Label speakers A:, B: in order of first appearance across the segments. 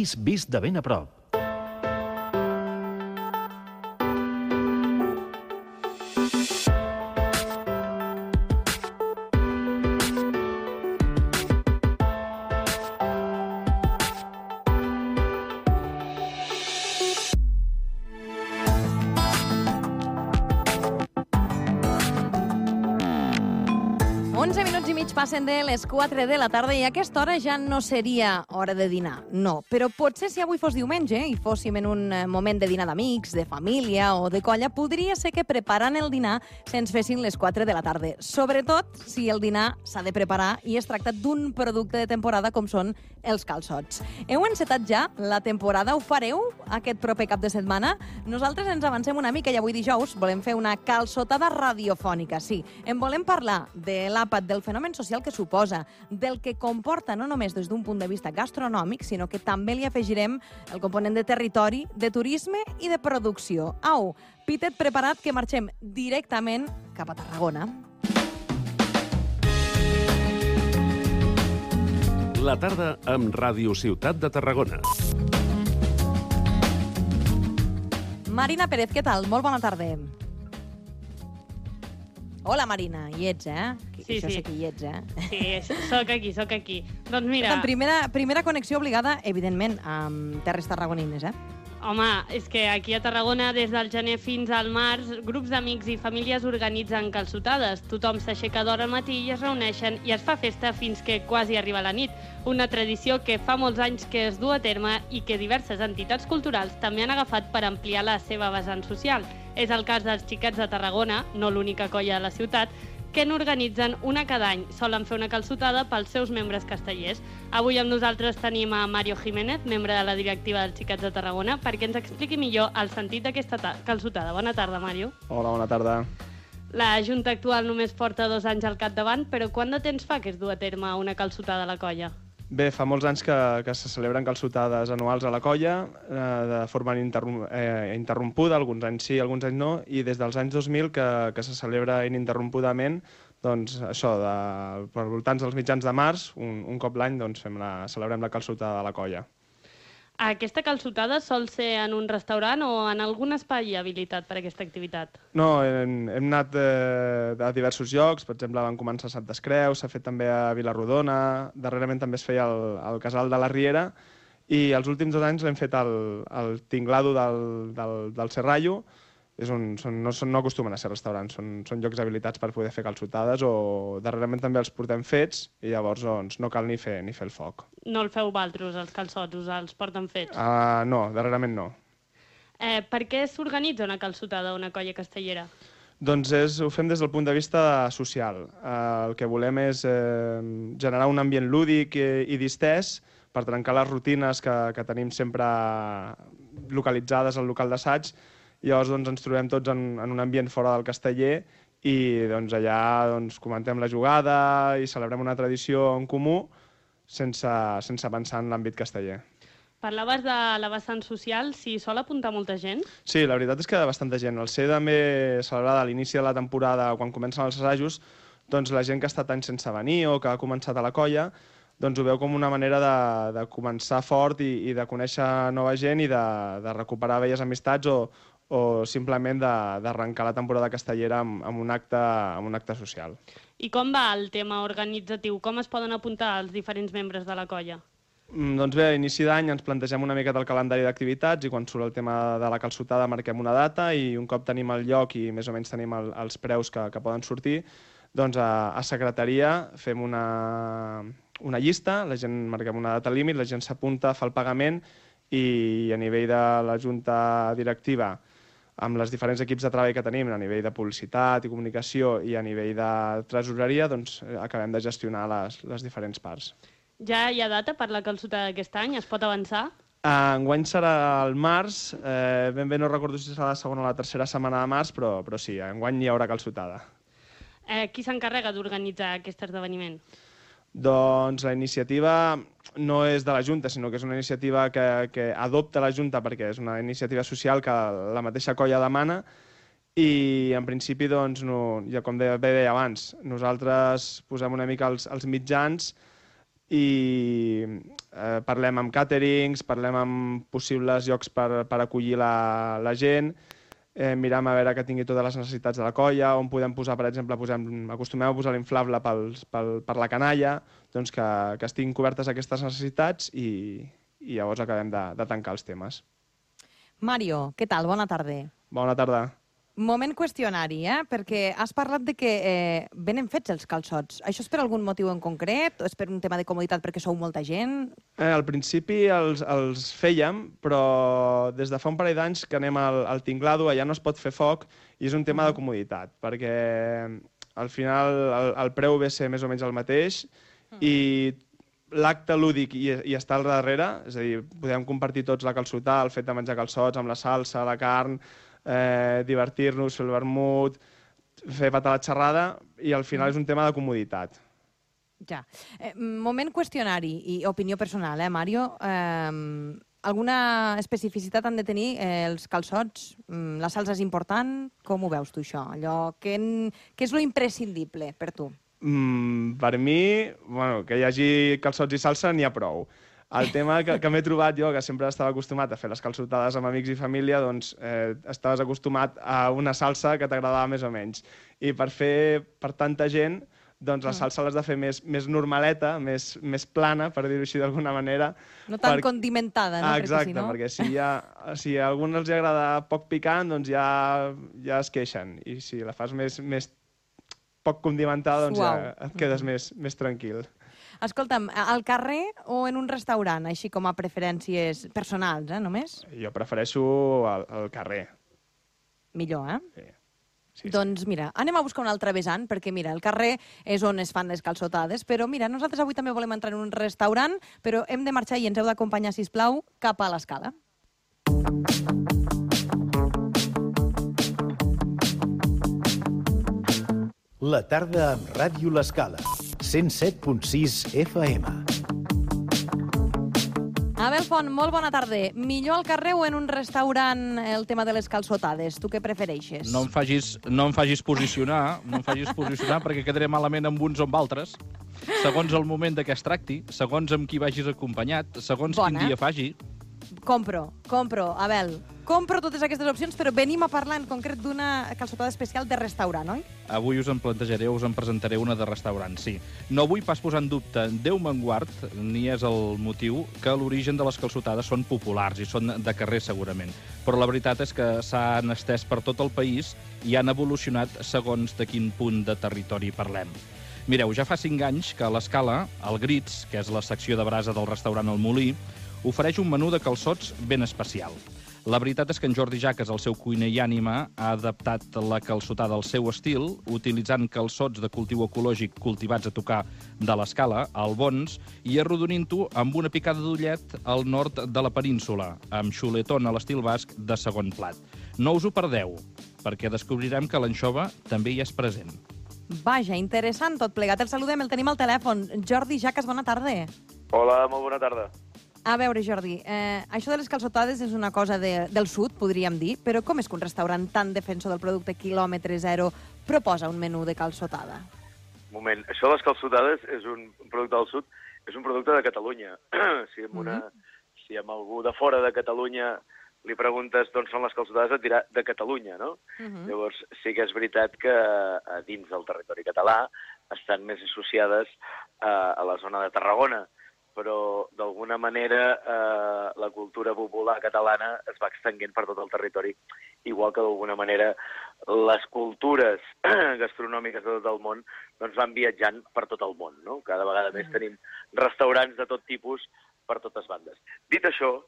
A: país vist de ben a prop.
B: Passen de les 4 de la tarda i a aquesta hora ja no seria hora de dinar, no. Però potser si avui fos diumenge i fóssim en un moment de dinar d'amics, de família o de colla, podria ser que preparant el dinar se'ns fessin les 4 de la tarda. Sobretot si el dinar s'ha de preparar i es tracta d'un producte de temporada com són els calçots. Heu encetat ja la temporada? Ho fareu aquest proper cap de setmana? Nosaltres ens avancem una mica i avui dijous volem fer una calçotada radiofònica, sí. En volem parlar de l'àpat, del fenomen social que suposa, del que comporta no només des d'un punt de vista gastronòmic, sinó que també li afegirem el component de territori, de turisme i de producció. Au, pitet preparat que marxem directament cap a Tarragona.
A: La tarda amb Ràdio Ciutat de Tarragona.
B: Marina Pérez, què tal? Molt bona tarda. Hola, Marina, hi ets, eh?
C: Sí,
B: Això
C: sí.
B: sé que hi ets, eh?
C: Sí, soc aquí. Doncs mira...
B: Primera connexió obligada, evidentment, amb terres tarragonines, eh?
C: Home, és que aquí a Tarragona, des del gener fins al març, grups d'amics i famílies organitzen calçotades. Tothom s'aixeca d'hora al matí i es reuneixen i es fa festa fins que quasi arriba la nit. Una tradició que fa molts anys que es du a terme i que diverses entitats culturals també han agafat per ampliar la seva vessant social. És el cas dels Xiquets de Tarragona, no l'única colla de la ciutat, que n'organitzen una cada any. Solen fer una calçotada pels seus membres castellers. Avui amb nosaltres tenim a Mario Jiménez, membre de la directiva dels Xiquets de Tarragona, perquè ens expliqui millor el sentit d'aquesta calçotada. Bona tarda, Mario.
D: Hola, bona tarda.
C: La Junta actual només porta 2 anys al capdavant, però quant de temps fa que es du a terme una calçotada a la colla?
D: Bé, fa molts anys que se celebren calçotades anuals a la colla, de forma interrompuda, alguns anys sí, alguns anys no, i des dels anys 2000 que se celebra ininterrompudament, doncs això, per voltants dels mitjans de març, un cop l'any, doncs celebrem la calçotada de la colla.
C: Aquesta calçotada sol ser en un restaurant o en algun espai habilitat per a aquesta activitat?
D: No, hem anat a diversos llocs, per exemple, vam començar a Santes Creus, s'ha fet també a Vilarrodona, darrerament també es feia al Casal de la Riera, i els últims 2 anys l'hem fet al Tinglado del Serrallo, no acostumen a ser restaurants, són llocs habilitats per poder fer calçotades, o darrerament també els portem fets i llavors no cal ni fer el foc.
C: No el feu vosaltres, els calçots, us els porten fets?
D: No, darrerament no.
C: Per què s'organitza una calçotada a una colla castellera?
D: Doncs ho fem des del punt de vista social. El que volem és generar un ambient lúdic i distès per trencar les rutines que tenim sempre localitzades al local d'assaig. Llavors ens trobem tots en un ambient fora del casteller i allà comentem la jugada i celebrem una tradició en comú sense pensar en l'àmbit casteller.
C: Parlaves de la vessant social, s'hi sol apuntar molta gent?
D: Sí, la veritat és que bastanta gent. Al ser també celebrada a l'inici de la temporada, quan comencen els assajos, doncs la gent que ha estat anys sense venir o que ha començat a la colla, doncs ho veu com una manera de començar fort i de conèixer nova gent i de recuperar velles amistats o simplement d'arrencar la temporada castellera amb un acte social.
C: I com va el tema organitzatiu? Com es poden apuntar els diferents membres de la colla?
D: Doncs bé, a inici d'any ens plantegem una mica del calendari d'activitats i quan surt el tema de la calçotada marquem una data i un cop tenim el lloc i més o menys tenim els preus que poden sortir, doncs a secretaria fem una llista, la gent marquem una data límit, la gent s'apunta, fa el pagament i a nivell de la junta directiva, amb els diferents equips de treball que tenim, a nivell de publicitat i comunicació i a nivell de tresoreria, doncs acabem de gestionar les diferents parts.
C: Ja hi ha data per la calçotada d'aquest any? Es pot avançar?
D: Enguany serà al març, ben bé no recordo si serà la segona o la tercera setmana de març, però sí, enguany hi haurà calçotada.
C: Qui s'encarrega d'organitzar aquest esdeveniment?
D: Doncs la iniciativa no és de la Junta, sinó que és una iniciativa que adopta la Junta perquè és una iniciativa social que la mateixa colla demana i en principi, doncs, com bé deia abans, nosaltres posem una mica els mitjans i parlem amb càterings, parlem amb possibles llocs per acollir la gent, miram a veure que tingui totes les necessitats de la colla, on podem posar, per exemple, acostumem a posar l'inflable per la canalla, doncs que estiguin cobertes aquestes necessitats i llavors acabem de tancar els temes.
B: Mario, què tal? Bona tarda.
D: Bona tarda.
B: Moment qüestionari, perquè has parlat de que venen fets els calçots. Això és per algun motiu en concret? O és per un tema de comoditat perquè sou molta gent?
D: Al principi els fèiem, però des de fa un parell d'anys que anem al tinglado, allà no es pot fer foc, i és un tema de comoditat, perquè al final el preu ve a ser més o menys el mateix, i l'acte lúdic i està al darrere, és a dir, podem compartir tots la calçotada, el fet de menjar calçots amb la salsa, la carn, divertir-nos, fer el vermut, fer patar la xerrada, i al final és un tema de comoditat.
B: Ja. Moment qüestionari i opinió personal, Mario. Alguna especificitat han de tenir els calçots? La salsa és important? Com ho veus tu, això? Què és lo imprescindible per tu?
D: Per mi, que hi hagi calçots i salsa n'hi ha prou. El tema que m'he trobat jo, que sempre estava acostumat a fer les calçotades amb amics i família, doncs estaves acostumat a una salsa que t'agradava més o menys. I per fer per tanta gent, doncs la salsa l'has de fer més normaleta, més plana, per dir-ho així d'alguna manera.
B: No tan condimentada, no?
D: Exacte, perquè si a alguns els agrada poc picant, doncs ja es queixen. I si la fas més poc condimentada, doncs ja et quedes més tranquil.
B: Escolta'm, al carrer o en un restaurant, així com a preferències personals, només?
D: Jo prefereixo al carrer.
B: Millor,
D: Sí.
B: Doncs mira, anem a buscar un altre vessant, perquè mira, el carrer és on es fan les calçotades, però mira, nosaltres avui també volem entrar en un restaurant, però hem de marxar i ens heu d'acompanyar, sisplau, cap a l'Escala.
E: La tarda amb Ràdio L'Escala, 107.6 FM.
B: Abel Font, molt bona tarda. Millor al carrer o en un restaurant el tema de les calçotades? Tu què prefereixes?
F: No em facis posicionar, perquè quedaré malament amb uns o amb altres. Segons el moment de què es tracti, segons amb qui vagis acompanyat, segons quin dia faci.
B: Compro, Abel. Compro totes aquestes opcions, però venim a parlar en concret d'una calçotada especial de restaurant, oi?
F: Avui us en presentaré una de restaurant, sí. No vull pas posar en dubte, Déu me'n guard, ni és el motiu, que l'origen de les calçotades són populars i són de carrer, segurament. Però la veritat és que s'han estès per tot el país i han evolucionat segons de quin punt de territori parlem. Mireu, ja fa 5 anys que a l'Escala, el Grits, que és la secció de brasa del restaurant El Molí, ofereix un menú de calçots ben especial. La veritat és que en Jordi Jaques, el seu cuiner i ànima, ha adaptat la calçotada al seu estil, utilitzant calçots de cultiu ecològic cultivats a tocar de l'Escala, al Bons, i arrodonint-ho amb una picada d'ullet al nord de la península, amb xuletón a l'estil basc de segon plat. No us ho perdeu, perquè descobrirem que l'anxova també hi és present.
B: Vaja, interessant tot plegat. El saludem, el tenim al telèfon. Jordi Jaques, bona tarda.
G: Hola, molt bona tarda.
B: A veure, Jordi, això de les calçotades és una cosa del sud, podríem dir, però com és que un restaurant tan defensor del producte quilòmetre zero proposa un menú de calçotada?
G: Un moment, això de les calçotades és un producte del sud, és un producte de Catalunya. Si amb algú de fora de Catalunya li preguntes d'on són les calçotades, et dirà de Catalunya, no? Llavors, sí que és veritat que dins del territori català estan més associades a la zona de Tarragona, però d'alguna manera la cultura popular catalana es va extenguent per tot el territori, igual que d'alguna manera les cultures gastronòmiques de tot el món doncs van viatjant per tot el món, no? Cada vegada més tenim restaurants de tot tipus per totes bandes. Dit això,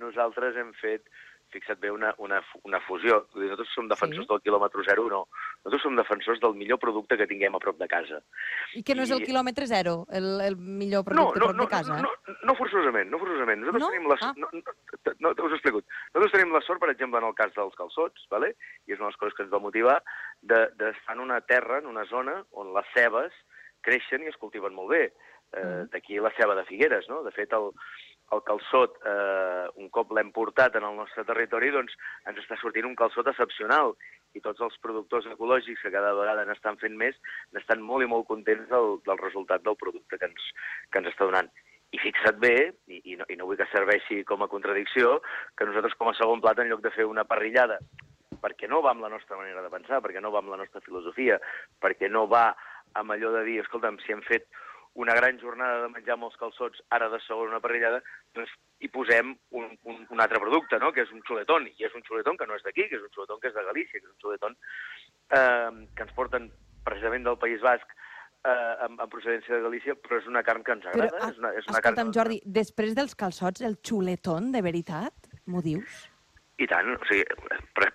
G: nosaltres hem fet, fixa't bé, una fusió. Nosaltres som defensors del quilòmetre zero, no. Nosaltres som defensors del millor producte que tinguem a prop de casa.
B: I que no és el quilòmetre zero, el millor producte a prop de casa?
G: No forçosament. Nosaltres tenim us ho explico. Nosaltres tenim la sort, per exemple, en el cas dels calçots, vale? I és una de les coses que ens va motivar, d'estar en una terra, en una zona, on les cebes creixen i es cultiven molt bé. D'aquí la ceba de Figueres, no? De fet, el calçot, un cop l'hem portat en el nostre territori, doncs ens està sortint un calçot excepcional. i tots els productors ecològics que cada vegada n'estan fent més, n'estan molt i molt contents del resultat del producte que ens està donant. I fixa't bé, i no vull que serveixi com a contradicció, que nosaltres com a segon plat, en lloc de fer una parrillada, perquè no va amb la nostra manera de pensar, perquè no va amb la nostra filosofia, perquè no va amb allò de dir, escolta'm, si hem fet una gran jornada de menjar molts calçots, ara de segon una parrillada, doncs hi posem un altre producte, no?, que és un xuletón, i és un xuletón que no és d'aquí, que és un xuletón que és de Galícia, que és un xuletón que ens porten precisament del País Basc, amb procedència de Galícia, però és una carn que ens agrada.
B: Escolta'm, Jordi, després dels calçots, el xuletón, de veritat, m'ho dius?
G: I tant, o sigui,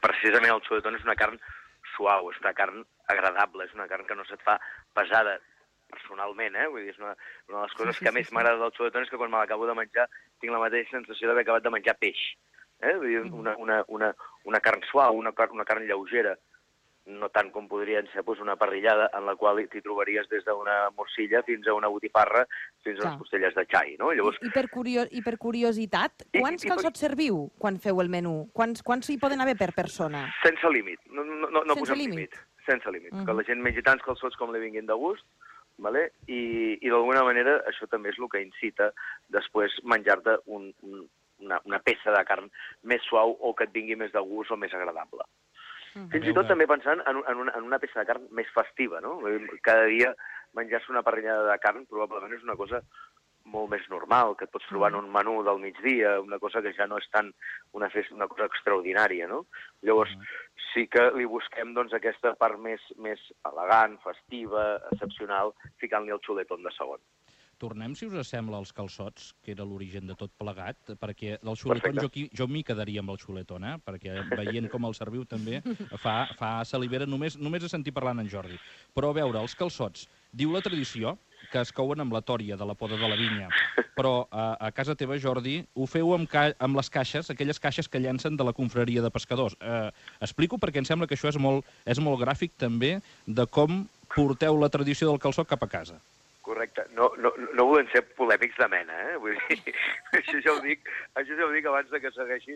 G: precisament el xuletón és una carn suau, és una carn agradable, és una carn que no se't fa pesada, personalment, vull dir, és una de les coses que més m'agrada del xuletón és que quan me l'acabo de menjar tinc la mateixa sensació d'haver acabat de menjar peix. Vull dir, una carn suau, una carn lleugera, no tant com podrien ser una parrillada en la qual t'hi trobaries des d'una morcilla fins a una botifarra, fins a unes costelles de xai, no? Llavors...
B: I per curiositat, quants calçots serviu quan feu el menú? Quants hi poden haver per persona?
G: Sense límit, no posem límit. Sense límit, que la gent mengi tants calçots com li vinguin de gust, vale? I d'alguna manera això també és el que incita després menjar-te una peça de carn més suau o que et vingui més de gust o més agradable. Fins i tot també pensant en una peça de carn més festiva, no? Cada dia menjar-se una parrillada de carn probablement és una cosa molt més normal, que et pots trobar en un menú del migdia, una cosa que ja no és tant una cosa extraordinària, no? Llavors, sí que li busquem doncs, aquesta part més elegant, festiva, excepcional, ficant-li el xuletón de segon.
F: Tornem, si us sembla, als calçots, que era l'origen de tot plegat, perquè del xuletón jo m'hi quedaria amb el xuletón, perquè veient com el serviu també fa salivera només de sentir parlant en Jordi. Però a veure, els calçots, diu la tradició que es couen amb la tòria de la poda de la vinya, però a casa teva, Jordi, ho feu amb les caixes, aquelles caixes que llancen de la confraria de pescadors. Explico perquè em sembla que això és molt gràfic també de com porteu la tradició del calçot cap a casa.
G: Correcte. No volem ser polèmics de mena, Vull dir, això ja ho dic abans que segueixi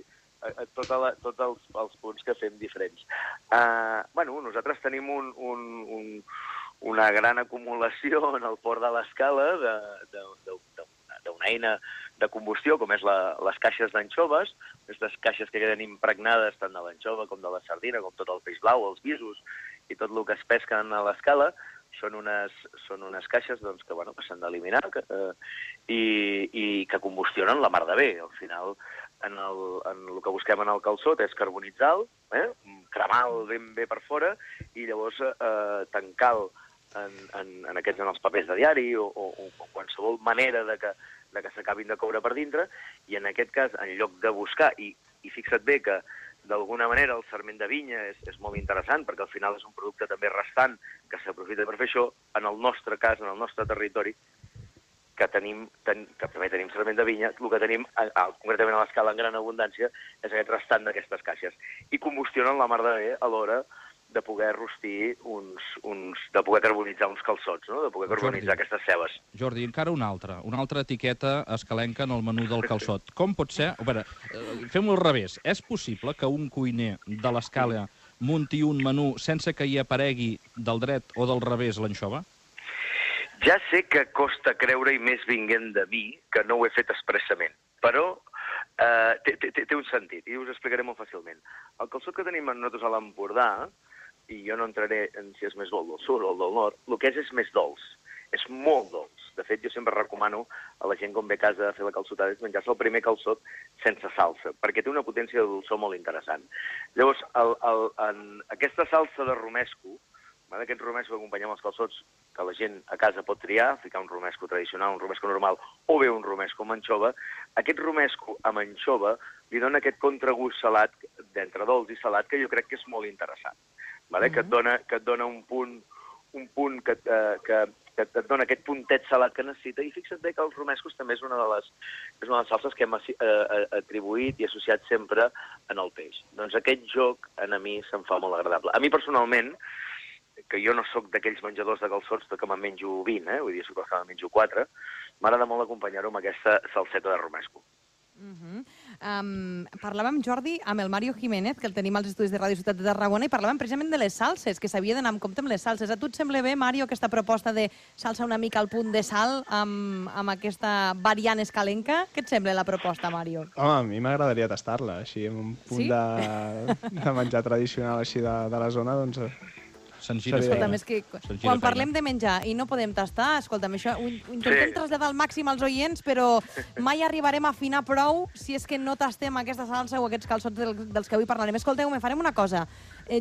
G: tots els punts que fem diferents. Nosaltres tenim una gran acumulació en el port de l'Escala d'una eina de combustió, com és les caixes d'anxoves, aquestes caixes que queden impregnades tant de l'anxova com de la sardina, com tot el peix blau, els visos i tot el que es pesquen a l'Escala. Són unes caixes doncs, que s'han d'eliminar i que combustionen la mar de bé. Al final, en el que busquem en el calçot és carbonitzar-lo, cremar-lo ben bé per fora i llavors tancar-lo en els papers de diari o qualsevol manera de que s'acabin de coure per dintre. I en aquest cas, en lloc de buscar, i fixa't bé que d'alguna manera el sarment de vinya és molt interessant perquè al final és un producte també restant que s'aprofita per fer això. En el nostre cas, en el nostre territori, que també tenim sarment de vinya, el que tenim, concretament a l'Escala en gran abundància, és aquest restant d'aquestes caixes. I combustionen la mar de bé a l'hora de poder rostir de poder carbonitzar uns calçots, no? De poder carbonitzar aquestes cebes.
F: Jordi, encara una altra etiqueta escalenca en el menú del calçot. Com pot ser? A veure, fem-ho al revés. És possible que un cuiner de l'Escala munti un menú sense que hi aparegui del dret o del revés l'anxova?
G: Ja sé que costa creure, i més vinguent de mi, que no ho he fet expressament, però té un sentit, i us explicaré molt fàcilment. El calçot que tenim nosaltres a l'Empordà, i jo no entraré en si és més dolç del sud o del nord, el que és més dolç, és molt dolç. De fet, jo sempre recomano a la gent quan ve a casa a fer la calçotada menjar-se el primer calçot sense salsa, perquè té una potència de dolçor molt interessant. Llavors, aquesta salsa de romesco, aquest romesco que acompanyem els calçots, que la gent a casa pot triar, ficar un romesco tradicional, un romesco normal, o bé un romesco amb anxova, aquest romesco amb anxova li dona aquest contragust salat, d'entre dolç i salat, que jo crec que és molt interessant, que et dona un punt que et dona aquest puntet salat que necessita, i fixa't bé que els romescos també és una de les salses que hem atribuït i associat sempre en el peix. Doncs aquest joc a mi se'm fa molt agradable. A mi personalment, que jo no sóc d'aquells menjadors de calçots que me'n menjo 20, vull dir, sóc que me'n menjo 4, m'agrada molt acompanyar-ho amb aquesta salseta de romesco.
B: Parlàvem, Jordi, amb el Mario Jiménez, que el tenim als estudis de Ràdio Ciutat de Tarragona, i parlàvem precisament de les salses, que s'havia d'anar amb compte amb les salses. A tu et sembla bé, Mario, aquesta proposta de salsa una mica al punt de sal amb aquesta variant escalenca? Què et sembla la proposta, Mario?
D: Home, a mi m'agradaria tastar-la, així, amb un punt de menjar tradicional així de la zona, doncs...
B: Escolta'm, és que quan parlem de menjar i no podem tastar, escolta'm, això ho intentem traslladar al màxim als oients, però mai arribarem a afinar prou si és que no tastem aquesta salsa o aquests calçots dels que avui parlarem. Escolteu, farem una cosa.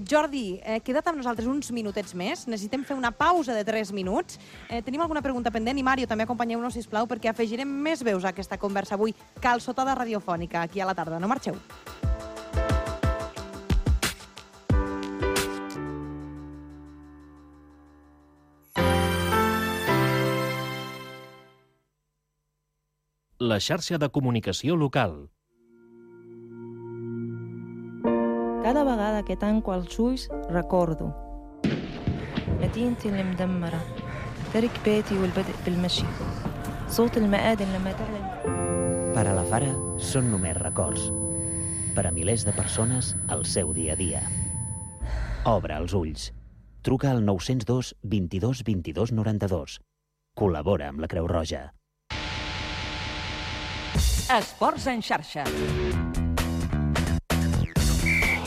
B: Jordi, queda't amb nosaltres uns minutets més. Necessitem fer una pausa de 3 minuts. Tenim alguna pregunta pendent i, Mario, també acompanyeu-nos, sisplau, perquè afegirem més veus a aquesta conversa avui. Calçotada radiofònica, aquí a la tarda. No marxeu.
A: La xarxa de comunicació local.
H: Cada vegada que tanco els ulls recordo مدينتي المدمرة ترك بيتي والبدء بالمشي صوت المآذن لما تعلن.
I: Per a la Fara són només records. Per a milers de persones, el seu dia a dia. Obre els ulls. Truca al 902 22 22 92. Col·labora amb la Creu Roja.
J: Esports en xarxa.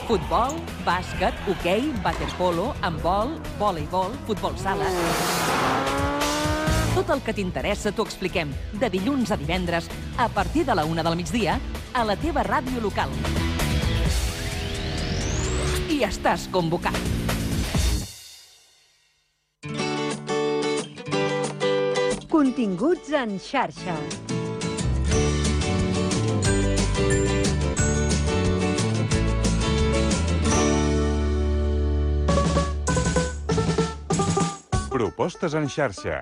J: Futbol, bàsquet, hoquei, waterpolo, handbol, voleibol, futbol sala... Tot el que t'interessa t'ho expliquem de dilluns a divendres a partir de la 1 del migdia a la teva ràdio local. I estàs convocat.
K: Continguts en xarxa.
L: Propostes en xarxa.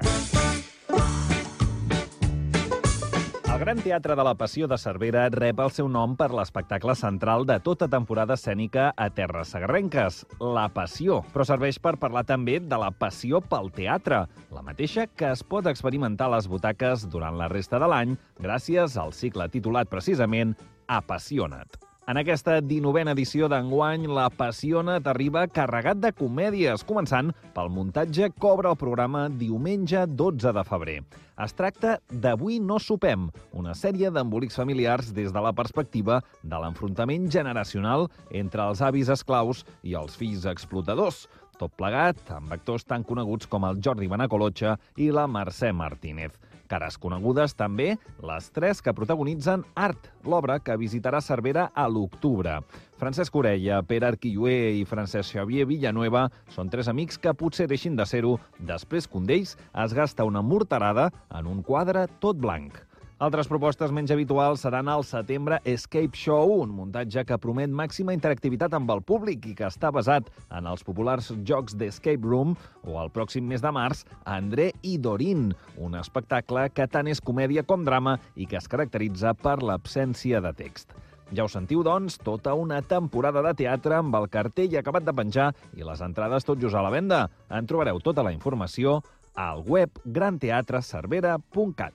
F: El Gran Teatre de la Passió de Cervera rep el seu nom per l'espectacle central de tota temporada escènica a Terres Segarrenques, La Passió, però serveix per parlar també de la passió pel teatre, la mateixa que es pot experimentar a les butaques durant la resta de l'any gràcies al cicle titulat precisament Apassiona't. En aquesta 19a edició d'enguany, l'Apassiona't arriba carregat de comèdies, començant pel muntatge que obre el programa diumenge 12 de febrer. Es tracta d'Avui no sopem, una sèrie d'embolics familiars des de la perspectiva de l'enfrontament generacional entre els avis esclaus i els fills explotadors. Tot plegat amb actors tan coneguts com el Jordi Benacolotxa i la Mercè Martínez. Cares conegudes també les 3 que protagonitzen Art, l'obra que visitarà Cervera a l'octubre. Francesc Orella, Pere Arquilloé i Francesc Xavier Villanueva són 3 amics que potser deixin de ser-ho després que un d'ells es gasta una morterada en un quadre tot blanc. Altres propostes menys habituals seran el Setembre Escape Show, un muntatge que promet màxima interactivitat amb el públic i que està basat en els populars jocs d'Escape Room, o el pròxim mes de març, André i Dorin, un espectacle que tant és comèdia com drama i que es caracteritza per l'absència de text. Ja ho sentiu, doncs, tota una temporada de teatre amb el cartell acabat de penjar i les entrades tot just a la venda. En trobareu tota la informació al web granteatrecervera.cat.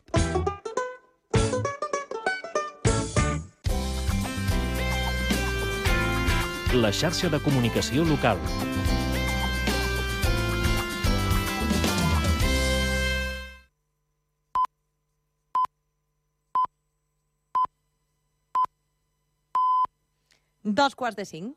A: La xarxa de comunicació local.
B: Dos quarts de 5.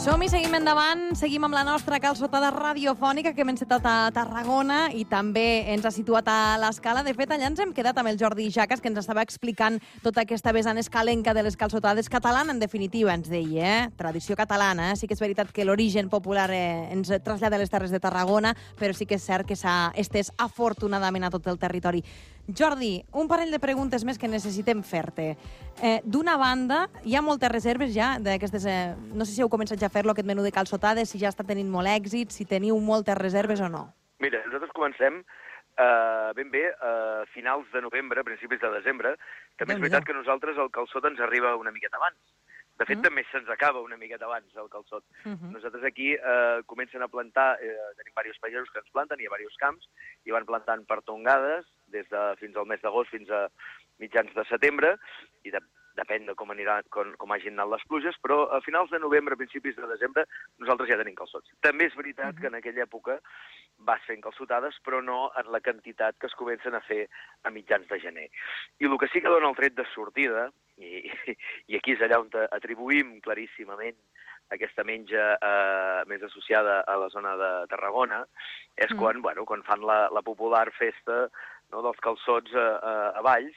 B: Som-hi, seguim endavant, seguim amb la nostra calçotada radiofònica que hem encetat a Tarragona i també ens ha situat a l'Escala. De fet, allà ens hem quedat amb el Jordi Jaques, que ens estava explicant tota aquesta vessant escalenca de les calçotades catalana, en definitiva, ens deia, tradició catalana. Sí que és veritat que l'origen popular ens trasllada a les Terres de Tarragona, però sí que és cert que s'ha estès afortunadament a tot el territori. Jordi, un parell de preguntes més que necessitem fer-te. D'una banda, hi ha moltes reserves ja d'aquestes... no sé si heu començat ja a fer-lo, aquest menú de calçotades, si ja està tenint molt èxit, si teniu moltes reserves o no.
G: Mira, nosaltres comencem ben bé a finals de novembre, principis de desembre. També és veritat que a nosaltres el calçot ens arriba una miqueta abans. De fet, també se'ns acaba una miqueta abans, el calçot. Nosaltres aquí comencen a plantar, tenim diversos pagesos que ens planten, hi ha diversos camps, i van plantant per tongades, fins al mes d'agost fins a mitjans de setembre, i depèn de com hagin anat les pluges, però a finals de novembre, principis de desembre, nosaltres ja tenim calçots. També és veritat que en aquella època vas fent calçotades, però no en la quantitat que es comencen a fer a mitjans de gener. I el que sí que dona el tret de sortida, i aquí és allà on atribuïm claríssimament aquesta menja més associada a la zona de Tarragona, és quan fan la popular festa dels calçots a Valls,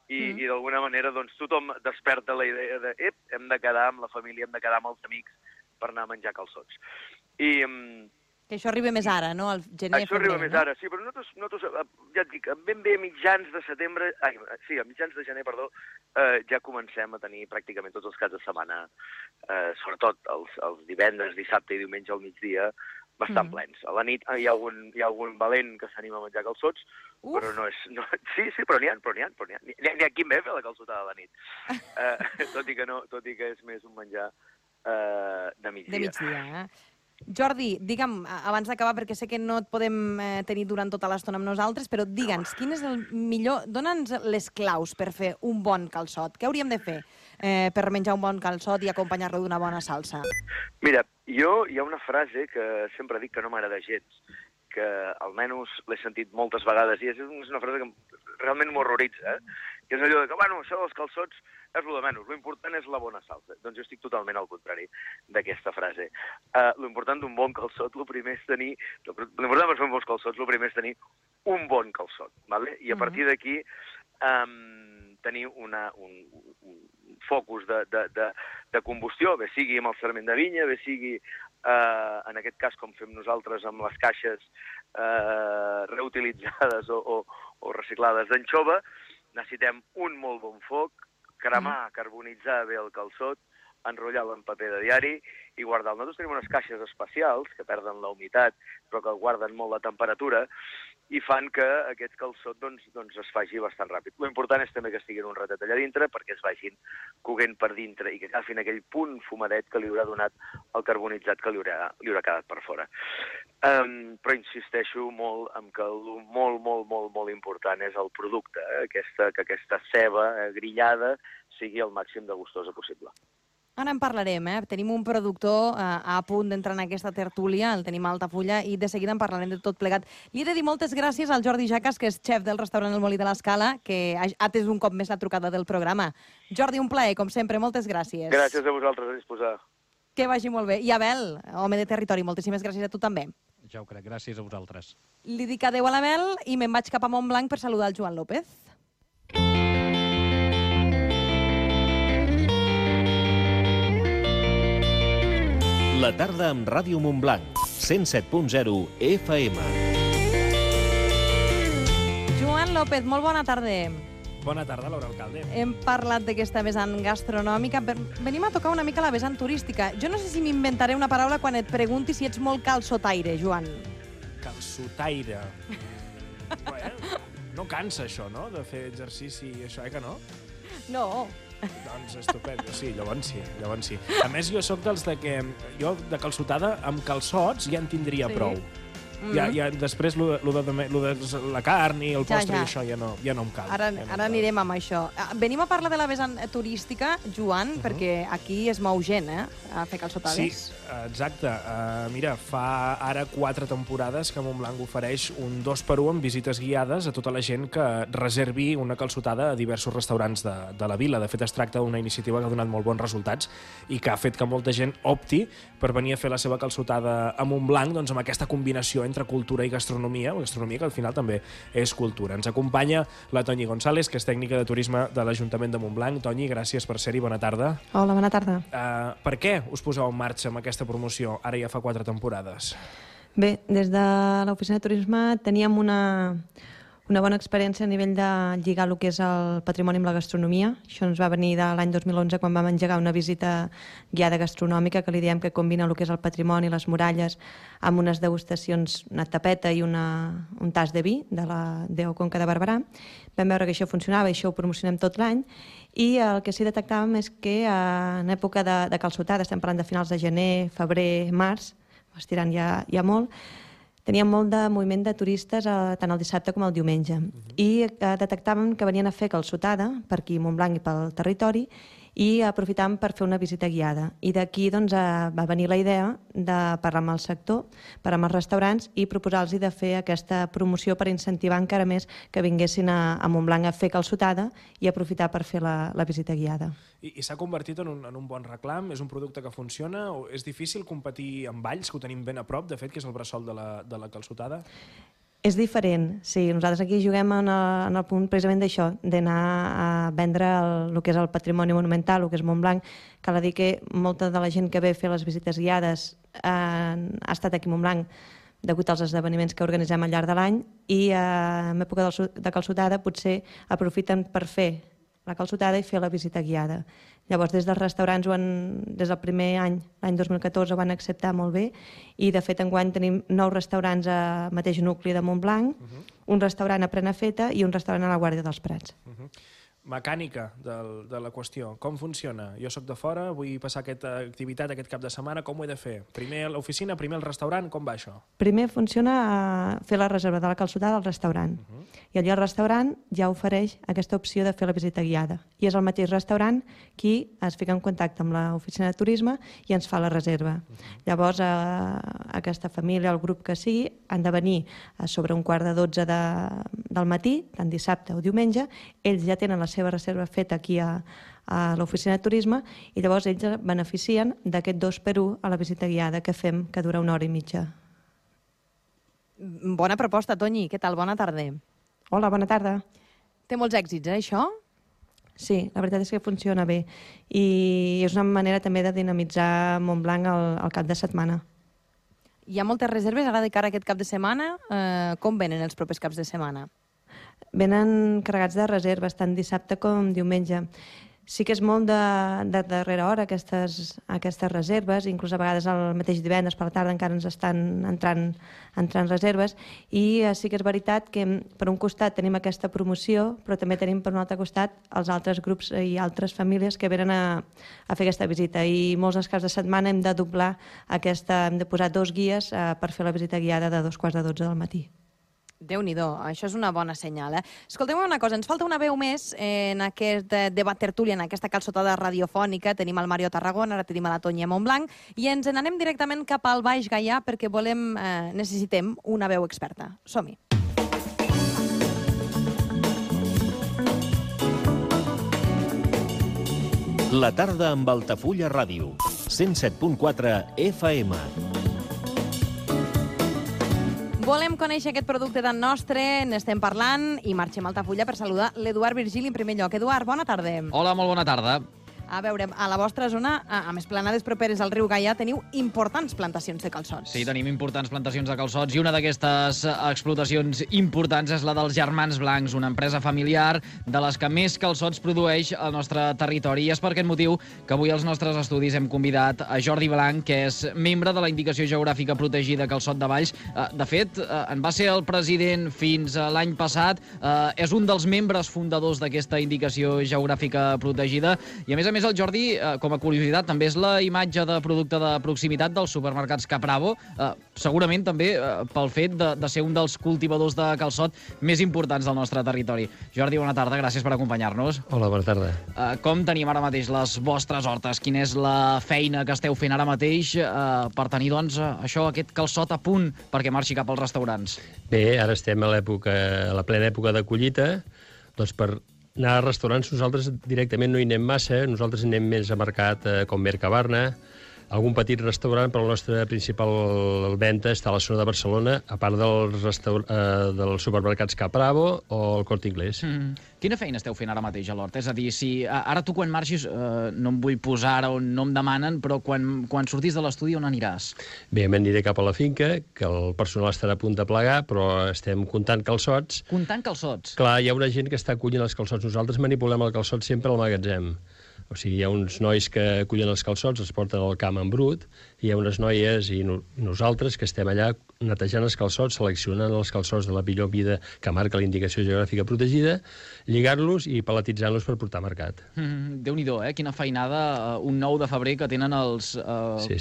G: i d'alguna manera tothom desperta la idea de hem de quedar amb la família, hem de quedar amb els amics per anar a menjar calçots.
B: Que això arriba més ara, no? Al gener,
G: això arriba més ara, sí, però nosaltres, ja et dic, ben bé a mitjans de setembre, a mitjans de gener, perdó, ja comencem a tenir pràcticament tots els caps de setmana, sobretot els divendres, dissabte i diumenge al migdia, bastant plens. A la nit hi ha algun valent que s'anima a menjar calçots, però no és... Sí, però n'hi ha. N'hi ha qui ve a fer la calçotada a la nit. Tot i que és més un menjar de migdia.
B: De migdia, Jordi, digue'm, abans d'acabar, perquè sé que no et podem tenir durant tota l'estona amb nosaltres, però digue'ns, quin és el millor... Dóna'ns les claus per fer un bon calçot. Què hauríem de fer per menjar un bon calçot i acompanyar-lo d'una bona salsa?
G: Mira, hi ha una frase que sempre dic que no m'agrada gens, que almenys l'he sentit moltes vegades, i és una frase que realment m'horroritza, que és allò de que, això dels calçots és el de menys, l'important és la bona salsa. Doncs jo estic totalment al contrari d'aquesta frase. L'important d'un bon calçot, l'important per fer un bon calçot, el primer és tenir un bon calçot, i a partir d'aquí tenir un focus de combustió, bé sigui amb el sarment de vinya, bé sigui, en aquest cas, com fem nosaltres amb les caixes reutilitzades o reciclades d'anxova, necessitem un molt bon foc, cremar, carbonitzar bé el calçot, enrotllar-lo en paper de diari i guardar-lo. Nosaltres tenim unes caixes especials que perden la humitat però que guarden molt la temperatura i fan que aquest calçot es faci bastant ràpid. L'important és també que estiguin un ratet allà dintre perquè es vagin coguent per dintre i que agafin aquell punt fumadet que li haurà donat el carbonitzat que li haurà quedat per fora. Però insisteixo molt en que el molt important és el producte, que aquesta ceba grillada sigui el màxim de gustosa possible.
B: Ara en parlarem, Tenim un productor a punt d'entrar en aquesta tertúlia, el tenim a Altafulla, i de seguida en parlarem de tot plegat. Li he de dir moltes gràcies al Jordi Jacas, que és xef del restaurant El Molí de l'Escala, que ha atès un cop més la trucada del programa. Jordi, un plaer, com sempre, moltes gràcies.
G: Gràcies a vosaltres, a disposar.
B: Que vagi molt bé. I Abel, home de territori, moltíssimes gràcies a tu també.
F: Ja ho crec, gràcies a vosaltres.
B: Li dic adeu a l'Abel i me'n vaig cap a Montblanc per saludar el Joan López.
A: La tarda amb Ràdio Montblanc, 107.0 FM.
B: Joan López, molt bona tarda.
K: Bona tarda, Laura Alcalde.
B: Hem parlat d'aquesta vessant gastronòmica. Venim a tocar una mica la vessant turística. Jo no sé si m'inventaré una paraula quan et pregunti si ets molt calçotaire, Joan.
K: Calçotaire. No cansa això, no?, de fer exercici i això, que no?
B: No.
K: Doncs estupendo, sí, llavors sí. A més, jo sóc dels que... Jo, de calçotada, amb calçots ja en tindria prou. Ja, després, lo de la carn i el postre i això ja no em cal.
B: Ara anirem amb això. Venim a parlar de la vessant turística, Joan, perquè aquí es mou gent, a fer calçotades.
K: Sí, exacte. Mira, fa ara 4 temporades que Montblanc ofereix un 2x1 amb visites guiades a tota la gent que reservi una calçotada a diversos restaurants de la vila. De fet, es tracta d'una iniciativa que ha donat molt bons resultats i que ha fet que molta gent opti per venir a fer la seva calçotada a Montblanc, doncs amb aquesta combinació entre cultura i gastronomia que al final també és cultura. Ens acompanya la Toñi González, que és tècnica de turisme de l'Ajuntament de Montblanc. Toñi, gràcies per ser-hi, bona tarda.
M: Hola, bona tarda.
K: Per què us poseu en marxa amb aquesta promoció ara ja fa 4 temporades?
M: Bé, des de l'oficina de turisme teníem una Una bona experiència a nivell de lligar el que és el patrimoni amb la gastronomia. Això ens va venir de l'any 2011 quan vam engegar una visita guiada gastronòmica que li diem que combina el que és el patrimoni, les muralles, amb unes degustacions, una tapeta i un tas de vi de la DO Conca de Barberà. Vam veure que això funcionava i això ho promocionem tot l'any. I el que sí detectàvem és que en època de calçotada, estem parlant de finals de gener, febrer, març, estirant ja molt, teníem molt de moviment de turistes tant el dissabte com el diumenge. I detectàvem que venien a fer calçotada per aquí a Montblanc i pel territori i aprofitàvem per fer una visita guiada. I d'aquí va venir la idea de parlar amb el sector, parlar amb els restaurants i proposar-los de fer aquesta promoció per incentivar encara més que vinguessin a Montblanc a fer calçotada i aprofitar per fer la visita guiada.
K: I s'ha convertit en un bon reclam? És un producte que funciona? O és difícil competir amb Valls, que ho tenim ben a prop, de fet, que és el bressol de la calçotada?
M: És diferent, sí. Nosaltres aquí juguem en el punt precisament d'això, d'anar a vendre el que és el patrimoni monumental, el que és Montblanc. Cal dir que molta de la gent que ve a fer les visites guiades ha estat aquí a Montblanc degut als esdeveniments que organitzem al llarg de l'any i en època de calçotada potser aprofiten per fer la calçotada i fer la visita guiada. Llavors, des dels restaurants, des del primer any, l'any 2014, ho van acceptar molt bé i, de fet, enguany tenim 9 restaurants al mateix nucli de Montblanc, un restaurant a Prenafeta i un restaurant a la Guàrdia dels Prats.
K: Mecànica de la qüestió. Com funciona? Jo sóc de fora, vull passar aquesta activitat aquest cap de setmana, com ho he de fer? Primer a l'oficina, primer al restaurant, com va això?
M: Primer funciona fer la reserva de la calçotada al restaurant. I allà el restaurant ja ofereix aquesta opció de fer la visita guiada. I és el mateix restaurant qui es fica en contacte amb l'oficina de turisme i ens fa la reserva. Llavors, aquesta família, el grup que sigui, han de venir sobre 11:45 del matí, tant dissabte o diumenge. Ells ja tenen la seva reserva feta aquí a l'oficina de turisme i llavors ells beneficien d'aquest 2x1 a la visita guiada que fem, que dura 1 hora i mitja.
B: Bona proposta, Toñi. Què tal? Bona tarda.
M: Hola, bona tarda.
B: Té molts èxits, això?
M: Sí, la veritat és que funciona bé i és una manera també de dinamitzar Montblanc al cap de setmana.
B: Hi ha moltes reserves ara de cara a aquest cap de setmana. Com venen els propers caps de setmana?
M: Venen carregats de reserves, tant dissabte com diumenge. Sí que és molt de darrera hora aquestes reserves, inclús a vegades el mateix divendres per la tarda encara ens estan entrant reserves i sí que és veritat que per un costat tenim aquesta promoció, però també tenim per un altre costat els altres grups i altres famílies que venen a fer aquesta visita i molts dels caps de setmana hem de doblar hem de posar 2 guies per fer la visita guiada de 11:45 del matí.
B: Déu-n'hi-do, això és una bona senyal. Escolteu una cosa, ens falta una veu més en aquest debat tertúlia, en aquesta calçotada radiofònica. Tenim el Mario Tarragona, ara tenim a la Toñi a Montblanc, i ens n'anem directament cap al Baix Gaià perquè necessitem una veu experta. Som-hi.
E: La tarda amb Altafulla Ràdio, 107.4 FM.
B: Volem conèixer aquest producte tan nostre, n'estem parlant i marxem a Altafulla per saludar l'Eduard Virgili en primer lloc. Eduard, bona tarda.
N: Hola, molt bona tarda.
B: A veure, a la vostra zona, a més planades properes al riu Gaià, teniu importants plantacions de calçots.
N: Sí, tenim importants plantacions de calçots i una d'aquestes explotacions importants és la dels Germans Blancs, una empresa familiar de les que més calçots produeix al nostre territori. I és per aquest motiu que avui als nostres estudis hem convidat a Jordi Blanc, que és membre de la Indicació Geogràfica Protegida Calçot de Valls. De fet, en va ser el president fins l'any passat, és un dels membres fundadors d'aquesta Indicació Geogràfica Protegida i, a més, el Jordi, com a curiositat, també és la imatge de producte de proximitat dels supermercats Capravo, segurament també pel fet de ser un dels cultivadors de calçot més importants del nostre territori. Jordi, bona tarda, gràcies per acompanyar-nos.
O: Hola, bona tarda.
N: Com tenim ara mateix les vostres hortes? Quina és la feina que esteu fent ara mateix per tenir, doncs, aquest calçot a punt perquè marxi cap als restaurants?
O: Bé, ara estem a la plena època de collita, doncs per anar a restaurants nosaltres directament no hi anem massa, nosaltres anem més a mercat com Mercabarna, algun petit restaurant, però la nostra principal venda està a la zona de Barcelona, a part dels supermercats Capravo o el Corte Inglés.
N: Quina feina esteu fent ara mateix a l'hort? És a dir, si ara tu quan marxis, no em vull posar ara on no em demanen, però quan sortis de l'estudi on aniràs?
O: Bé, m'aniré cap a la finca, que el personal estarà a punt de plegar, però estem comptant calçots.
N: Comptant calçots?
O: Clar, hi ha una gent que està collint els calçots. Nosaltres manipulem el calçot sempre al magatzem. O sigui, hi ha uns nois que cullen els calçots, els porten al camp en brut, i hi ha unes noies i nosaltres que estem allà netejant els calçots, seleccionant els calçots de la millor mida que marca la indicació geogràfica protegida, lligant-los i paletitzant-los per portar a mercat.
N: Déu-n'hi-do, quina feinada, un 9 de febrer que tenen els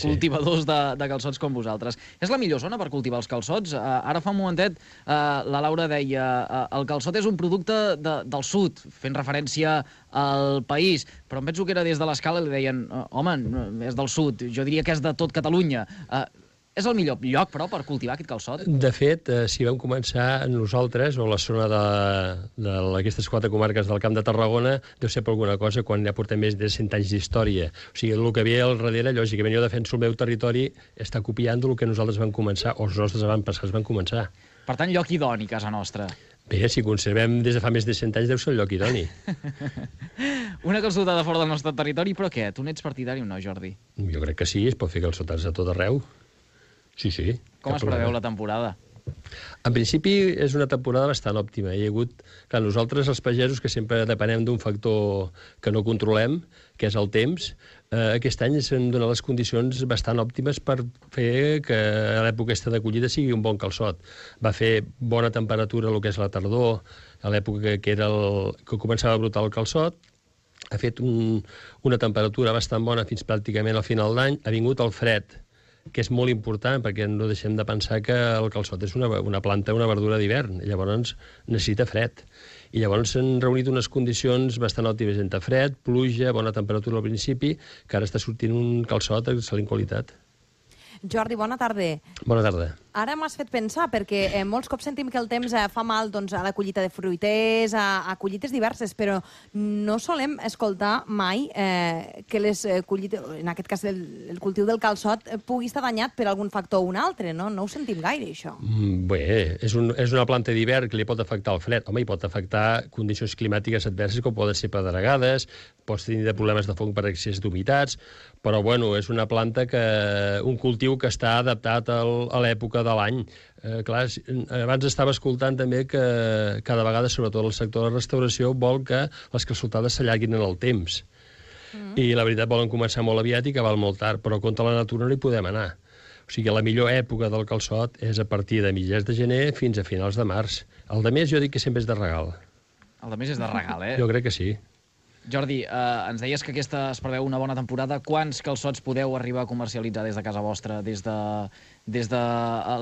N: cultivadors de calçots com vosaltres. És la millor zona per cultivar els calçots? Ara fa un momentet la Laura deia el calçot és un producte del sud, fent referència al país, però em penso que era des de l'Escala i li deien home, és del sud, jo diria que és de tot Catalunya. És el millor lloc, però, per cultivar aquest calçot?
O: De fet, si vam començar nosaltres, o la zona d'aquestes 4 comarques del Camp de Tarragona, deu ser per alguna cosa quan ja portem més de 100 anys d'història. O sigui, el que ve al darrere, lògicament, jo defenso el meu territori, està copiant el que nosaltres vam començar, o els nostres avantpassats van començar.
N: Per tant, lloc idoni, casa nostra.
O: Bé, si conservem des de fa més de 100 anys, deu ser el lloc idoni.
N: Una calçotada fora del nostre territori, però què? Tu n'ets partidari o no, Jordi?
O: Jo crec que sí, es pot fer calçotats a tot arreu. Sí.
N: Com es preveu la temporada?
O: En principi és una temporada bastant òptima. Hi ha hagut, clar, nosaltres els pagesos que sempre depenem d'un factor que no controlem, que és el temps, aquest any s'han donat les condicions bastant òptimes per fer que a l'època de collida sigui un bon calçot. Va fer bona temperatura el que és la tardor, a l'època que començava a brotar el calçot, ha fet una temperatura bastant bona fins pràcticament al final d'any, ha vingut el fred, que és molt important, perquè no deixem de pensar que el calçot és una planta, una verdura d'hivern, llavors necessita fred. I llavors s'han reunit unes condicions bastant òptimes entre fred, pluja, bona temperatura al principi, que ara està sortint un calçot d'excel·lent qualitat.
B: Jordi, bona tarda.
O: Bona tarda.
B: Ara m'has fet pensar, perquè molts cops sentim que el temps fa mal a la collita de fruiters, a collites diverses, però no solem escoltar mai que les collites, en aquest cas el cultiu del calçot, pugui estar danyat per algun factor o un altre, no? No ho sentim gaire, això.
O: Bé, és una planta d'hivern que li pot afectar el fred. Home, hi pot afectar condicions climàtiques adverses, com poden ser pedregades, pots tenir problemes de fong per excés d'humitats, però, bueno, és una planta un cultiu que està adaptat a l'època de l'any. Clar, abans estava escoltant també que cada vegada, sobretot el sector de la restauració, vol que les calçotades s'allarguin en el temps. I la veritat volen començar molt aviat i acabar molt tard, però contra la natura no hi podem anar. O sigui, la millor època del calçot és a partir de mitjans de gener fins a finals de març. El de més jo dic que sempre és de regal.
N: El de més és de regal,
O: Jo crec que sí.
N: Jordi, ens deies que aquesta es preveu una bona temporada. Quants calçots podeu arribar a comercialitzar des de casa vostra, des de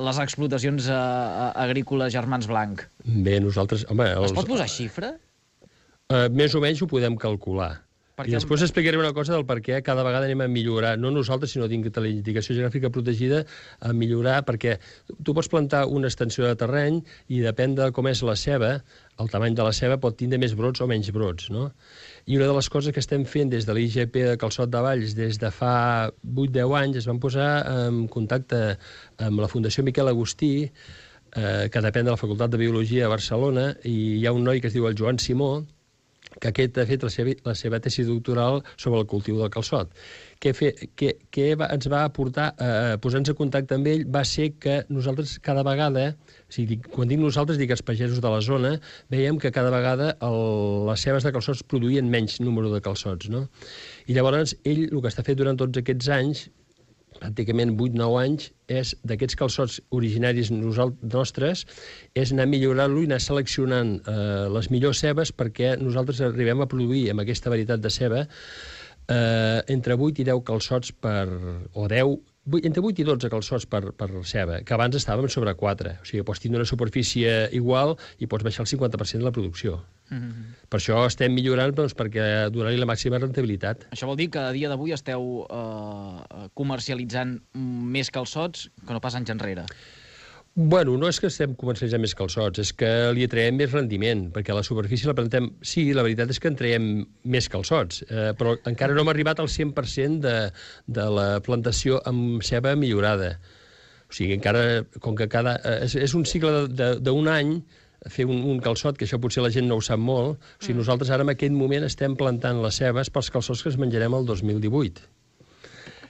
N: les explotacions agrícoles Germans Blanc?
O: Bé, nosaltres... Home,
N: es pot posar xifra?
O: Més o menys ho podem calcular. I després explicaré una cosa del per què cada vegada anem a millorar, no nosaltres, sinó dins de la indicació geogràfica protegida, a millorar, perquè tu pots plantar una extensió de terreny i depèn de com és la ceba, el tamany de la ceba pot tindre més brots o menys brots, no? I una de les coses que estem fent des de l'IGP de Calçot de Valls des de fa 8-10 anys es van posar en contacte amb la Fundació Miquel Agustí, que depèn de la Facultat de Biologia de Barcelona, i hi ha un noi que es diu el Joan Simó, que aquest ha fet la seva tesi doctoral sobre el cultiu del calçot. Què ens va aportar a posar-nos en contacte amb ell va ser que nosaltres cada vegada, o sigui, quan dic nosaltres, dic els pagesos de la zona, veiem que cada vegada les cebes de calçots produïen menys número de calçots, no? I llavors ell el que està fet durant tots aquests anys, pràcticament 8-9 anys, és d'aquests calçots originaris nostres, és anar millorant-lo i anar seleccionant les millors cebes perquè nosaltres arribem a produir amb aquesta varietat de ceba entre 8 i 10 calçots entre 8 i 12 calçots per ceba, que abans estàvem sobre 4. O sigui, pots tindre una superfície igual i pots baixar el 50% de la producció. Per això estem millorant perquè donar-li la màxima rentabilitat.
N: Això vol dir que a dia d'avui esteu comercialitzant més calçots que no pas anys enrere?
O: Bueno, no és que estem comercialitzant més calçots, és que li traiem més rendiment, perquè a la superfície la plantem... Sí, la veritat és que en traiem més calçots, però encara no hem arribat al 100% de la plantació amb ceba millorada. O sigui, encara, com que és un cicle d'un any, fer un calçot, que això potser la gent no ho sap molt, o sigui, nosaltres ara en aquest moment estem plantant les cebes pels calçots que es menjarem el 2018.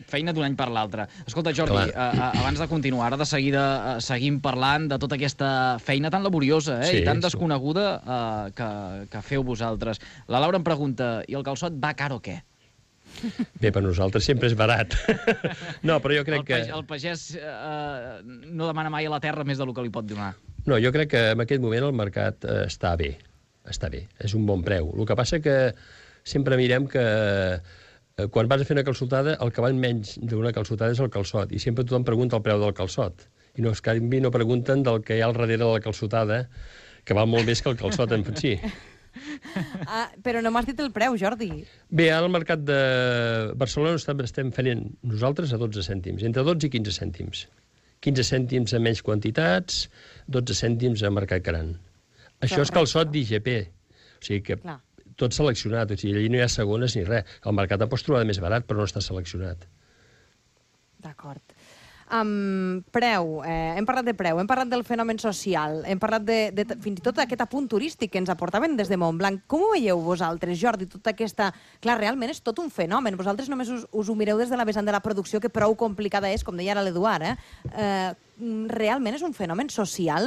N: Feina d'un any per l'altre. Escolta, Jordi, abans de continuar, ara de seguida seguim parlant de tota aquesta feina tan laboriosa i tan desconeguda que feu vosaltres. La Laura em pregunta, i el calçot va car o què?
O: Bé, per nosaltres sempre és barat. No, però jo crec que...
N: El pagès no demana mai a la terra més del que li pot donar.
O: No, jo crec que en aquest moment el mercat està bé. Està bé, és un bon preu. El que passa que sempre mirem que quan vas a fer una calçotada, el que val menys d'una calçotada és el calçot, i sempre tothom pregunta el preu del calçot. I no, canvi, no pregunten del que hi ha al darrere de la calçotada, que val molt més que el calçot en si.
B: Però no m'has dit el preu, Jordi.
O: Bé, ara al mercat de Barcelona estem fent nosaltres a 12 cèntims, entre 12 i 15 cèntims. 15 cèntims a menys quantitats, 12 cèntims a mercat gran. Això és calçot d'IGP, o sigui que tot seleccionat, o sigui, allà no hi ha segones ni res. El mercat el pots trobar de més barat, però no està seleccionat.
B: D'acord. Preu, hem parlat de preu, hem parlat del fenomen social, hem parlat de fins i tot d'aquest apunt turístic que ens aportaven des de Montblanc. Com ho veieu vosaltres, Jordi, tota aquesta... Clar, realment és tot un fenomen. Vosaltres només us ho mireu des de la vessant de la producció, que prou complicada és, com deia ara l'Eduard, realment és un fenomen social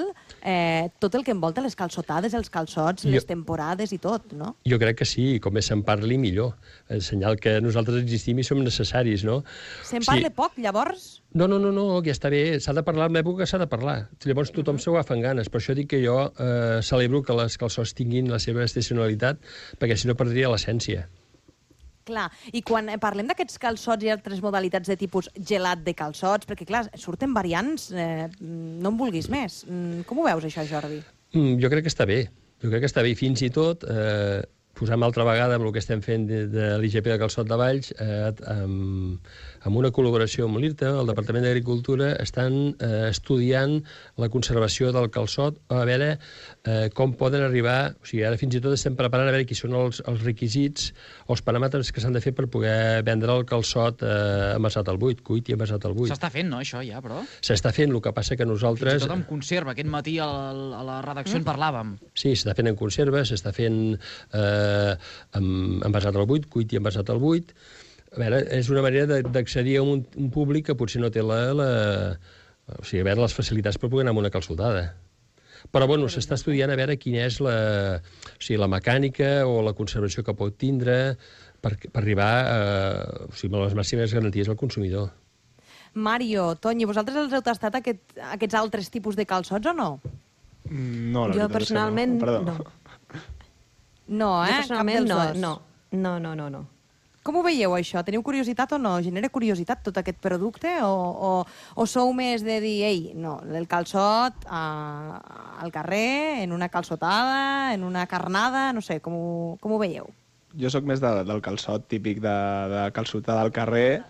B: tot el que envolta les calçotades, els calçots, les temporades i tot, no?
O: Jo crec que sí, com més se'n parli, millor. El senyal que nosaltres existim i som necessaris, no?
B: Se'n parla poc, llavors?
O: No, ja està bé. S'ha de parlar en l'època que s'ha de parlar. Llavors tothom s'ho agafa amb ganes. Per això dic que jo celebro que les calçots tinguin la seva estacionalitat, perquè si no perdria l'essència.
B: Clar, i quan parlem d'aquests calçots i altres modalitats de tipus gelat de calçots, perquè clar, surten variants, no en vulguis més. Com ho veus, això, Jordi?
O: Jo crec que està bé. Jo crec que està bé. Fins i tot, posem altra vegada amb el que estem fent de l'IGP de Calçot de Valls, amb una col·laboració amb l'IRTA, el Departament d'Agricultura, estan estudiant la conservació del calçot, a veure com poden arribar, o sigui, ara fins i tot estem preparant a veure quins són els requisits, els paràmetres que s'han de fer per poder vendre el calçot envasat al buit, cuit i envasat al buit.
N: S'està fent, no, això ja, però?
O: S'està fent, el que passa que nosaltres...
N: Fins i tot en conserva, aquest matí a la redacció en parlàvem.
O: Sí, s'està fent en conserva, s'està fent envasat al buit, cuit i envasat al buit. A veure, és una manera d'accedir a un públic que potser no té o sigui, a veure, les facilitats per poder anar a una calçotada. Però, bueno, s'està estudiant a veure quina és la mecànica o la conservació que pot tindre per arribar a les màximes garanties al consumidor.
B: Mario, Toni, vosaltres els heu tastat aquests altres tipus de calçots o no?
D: No, la veritat és que no.
M: Jo personalment no.
B: No,
M: Jo personalment
B: cap
M: no.
B: No. Com ho veieu, això? Teniu curiositat o no? Genera curiositat tot aquest producte? O sou més de dir, ei, no, el calçot al carrer, en una calçotada, en una carnada, no sé, com ho veieu?
D: Jo sóc més del calçot típic de calçotada al carrer,